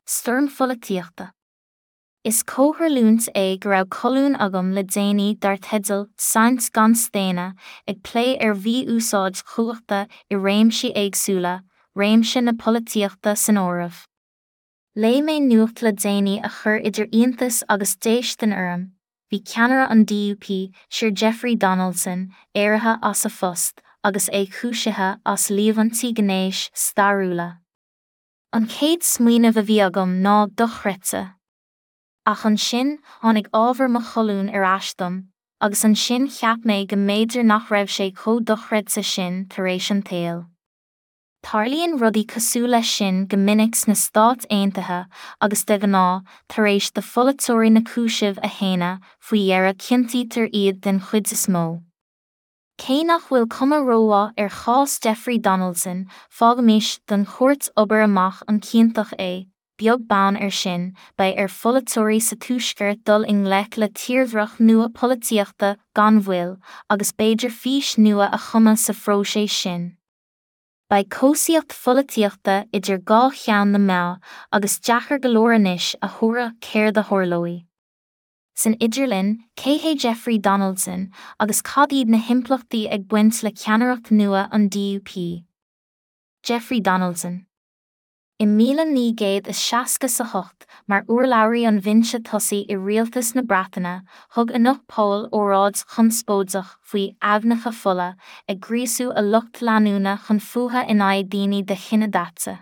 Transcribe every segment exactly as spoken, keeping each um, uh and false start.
Stoirm pholaitíochta. Is comhtharlúint é go raibh colún agam le déanaí dar teideal "Saint gan Staonadh" ag plé ar mhí-úsáid chumhachta i réimsí éagsúla, réimse na polaitíochta san áireamh. Léigh mé nuacht le déanaí a chuir idir iontas agus déistin orm, bhí ceannaire an D U P, Sir Jeffrey Donaldson, éirithe as a phost, agus é cúisithe as líomhaintí gnéis stairiúla. An chéad smaoineamh a bhí agam ná dochreidte. Ach ansin tháinig ábhar mo cholúin ar ais dom, agus ansin cheap mé go mb'fhéidir nach raibh sé chomh dochreidte sin tar éis an tsaoil. Tarlaíonn rudaí cosúil leis sin go minic sna Stáit Aontaithe agus de ghnáth, tar éis do pholaiteoirí na cúisimh a shéanadh, faoi dheireadh ciontaítear iad den chuid is mó. Cé nach bhfuil cuma rómhaith ar chás Jeffrey Donaldson, fágaimis don chúirt obair amach an ciontach é, beag beann air sin, beidh ar pholaiteoirí sa Tuaisceart dul i ngleic le tírdhreach nua polaitíochta gan mhoill, agus b'fhéidir fís nua a chumadh sa phróiseas sin. Beidh cobhsaíocht pholaitíochta idir dhá cheann na meá, agus deacair go leor anois a thuaradh céard a tharlóidh. San idirlinn, cé hé Jeffrey Donaldson, agus cad iad na himpleachtaí ag baint le ceannaireacht nua an D U P? Jeffrey Donaldson. I míle naoi gcéad is seasca a hocht, mar urlabhraí an bhinse tosaigh i rialtas na Breataine, thug Enoch Powell óráid chonspóideach faoi aibhneacha fola, ag gríosú a lucht leanúna chun fuatha in aghaidh daoine de chine daite.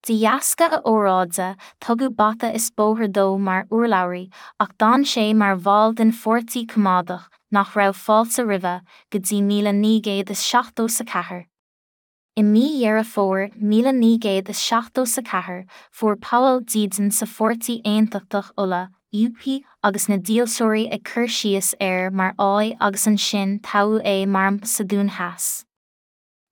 De dheasca a óráide, tugadh bata is bóthar dó mar urlabhraí, ach d'fhan sé mar bhall den Pháirtí Coimeádach, nach raibh fáilte roimhe, go dtí míle naoi gcéad is seachtó a ceathair. I mí Dheireadh Fómhair míle naoi gcéad is seachtó a ceathair, fuair Powell dídean sa Pháirtí Aontachtach Uladh, U P, agus na dílseoirí ag cur síos air mar fháidh agus ansin toghadh é mar M P sa Dún Theas.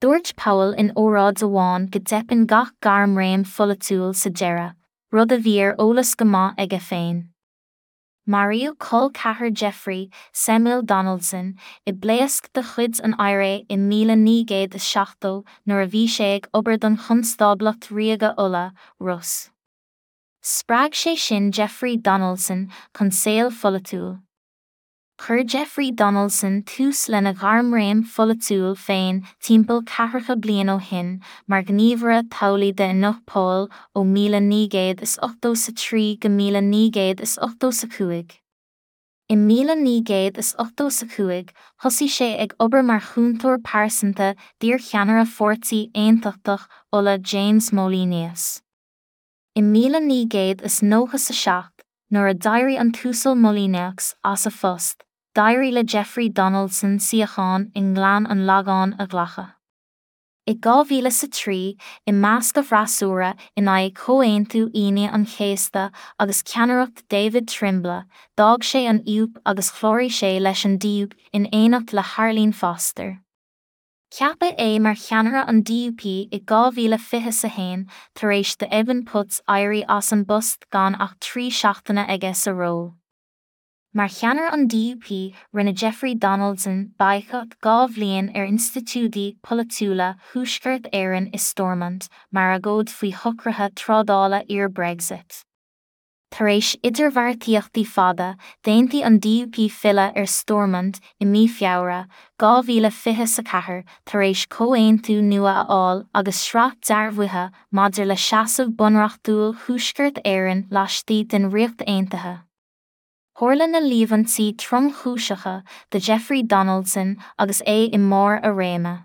Dúirt Powell in óráid amháin go dteipeann gach gairmréim pholaitiúil sa deireadh, rud a bhí ar eolas go maith aige féin. Maraíodh col ceathar Jeffrey, Samuel Donaldson, i bpléasc de chuid an I R A i míle naoi gcéad is seachtó nuair a bhí sé ag obair don Chonstáblacht Ríoga Uladh, R U S. Spreag sé sin Jeffrey Donaldson chun saol pholaitiúil. Chuir Jeffrey Donaldson tús lena ghairmréim pholaitiúil féin timpeall ceathracha bliain ó shin mar ghníomhaire toghlaigh d'Enoch Powell ó míle naoi gcéad is ochtó a trí go míle naoi gcéad is ochtó a cúig. I míle naoi gcéad is ochtó a cúig, thosaigh sé ag obair mar chúntóir pearsanta d'iarcheannaire Pháirtí Aontachtach Uladh James Molyneux. I míle naoi gcéad is nócha a seacht, nuair a d'éirigh an tUasal Molyneux as a phost, d'éirigh le Jeffrey Donaldson suíochán i nGleann an Lagáin a ghlacadh. I dhá mhíle a trí, i measc a bhfreasúra in aghaidh Chomhaontú Aoine an Chéasta agus ceannaireacht David Trimble, d'fhág sé an U P agus chláraigh sé leis an D U P in éineacht le hArlene Foster. Ceapadh é mar cheannaire an D U P i dhá mhíle fiche a haon tar éis do Evan Putz éirí as an bpost gan ach trí seachtaine aige sa ról. Mar cheannaire an D U P, rinne Jeffrey Donaldson baghcat dhá bhliain ar institiúidí polaitiúla Thuaisceart Éireann i Stormont mar agóid faoi shocruithe trádála iar-Brexit. Tar éis idirbheartaíochtaí fada, d'aontaigh an D U P filleadh ar Stormont i mí Feabhra dhá mhíle fiche a ceathair tar éis comhaontú nua a fháil agus sraith dearbhuithe maidir le seasamh bunreachtúil Thuaisceart Éireann laistigh den Ríocht Aontaithe. Tharla na líomhaintí tromchúiseacha do Jeffrey Donaldson agus é i mbarr a réime.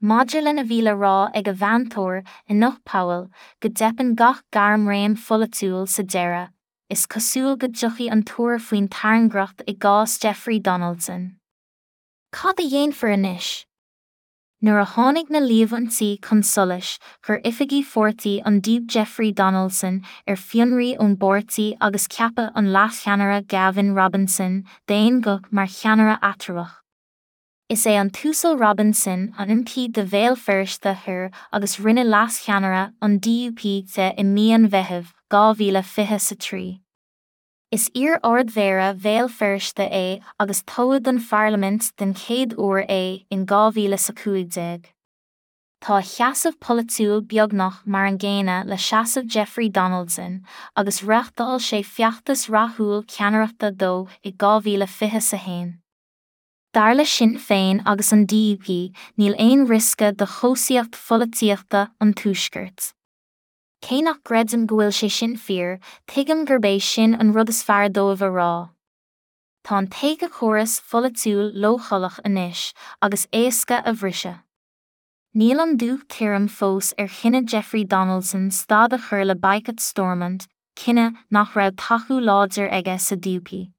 Maidir lena bhí le rá ag a mheantóir, Enoch Powell, go dteipeann gach gairmréim pholaitiúil sa deireadh, is cosúil go dtiocfaidh an tuar faoin tairngreacht i gcás Jeffrey Donaldson. Cad a dhéanfar anois? Nuair a tháinig na líomhaintí chun solais, chuir oifigí pháirtí an D U P Jeffrey Donaldson ar fionraí ón bpáirtí agus ceapadh an leascheannaire Gavin Robinson d'aon ghuth mar cheannaire eatramhach. Is é an tUasal Robinson an M P do Bhéal Feirste Thoir agus rinneadh leascheannaire an D U P de i mí an Mheithimh dhá mhíle fiche a trí. Is iar-ardmhéara Bhéal Feirste é agus toghadh don Pharlaimint den chéad uair é in dhá mhíle a cúig déag. Tá a sheasamh polaitiúil beagnach mar an gcéanna le seasamh Jeffrey Donaldson, agus reáchtáil sé feachtas rathúil ceannaireachta dó i dhá mhíle fiche a haon. Dar le Sinn Féin agus an D U P, níl aon riosca do chobhsaíocht pholaitíochta an Tuaiscirt. Cé nach gcreidim go bhfuil sé sin fíor, tuigim gurb é sin an rud is fearr dóibh a rá. Tá an t-éiceachóras pholaitiúil leochaileach anois, agus éasca a bhriseadh. Níl an dúch tirim fós ar chinneadh Jeffrey Donaldson stad a chur le baghcat Stormont, cinneadh nach raibh tacú láidir aige sa D U P.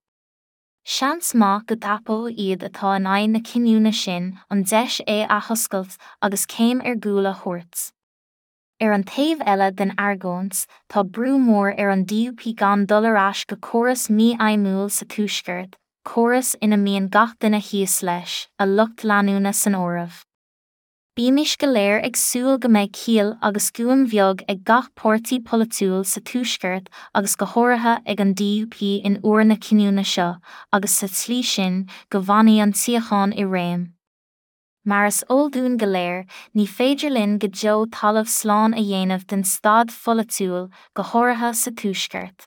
Seans maith go dtapóidh iad atá in aghaidh na cinniúna sin an deis é a athoscailt agus céim ar gcúl a thabhairt. Ar an taobh eile den argóint, tá brú mór ar an D U P gan dul ar ais go córas mífheidhmiúil sa Tuaisceart, córas ina mbíonn gach duine thíos leis, a lucht leanúna san áireamh. Bímis go léir ag súil go mbeidh ciall agus guaim bheag ag gach páirtí polaitiúil sa Tuaisceart agus go háirithe ag an D U P in uair na cinniúna seo, agus sa tslí sin, go bhfanfaidh an tsíocháin i réim. Mar is eol dúinn go léir, ní féidir linn go deo talamh slán a dhéanamh den staid pholaitiúil, go háirithe sa Tuaisceart.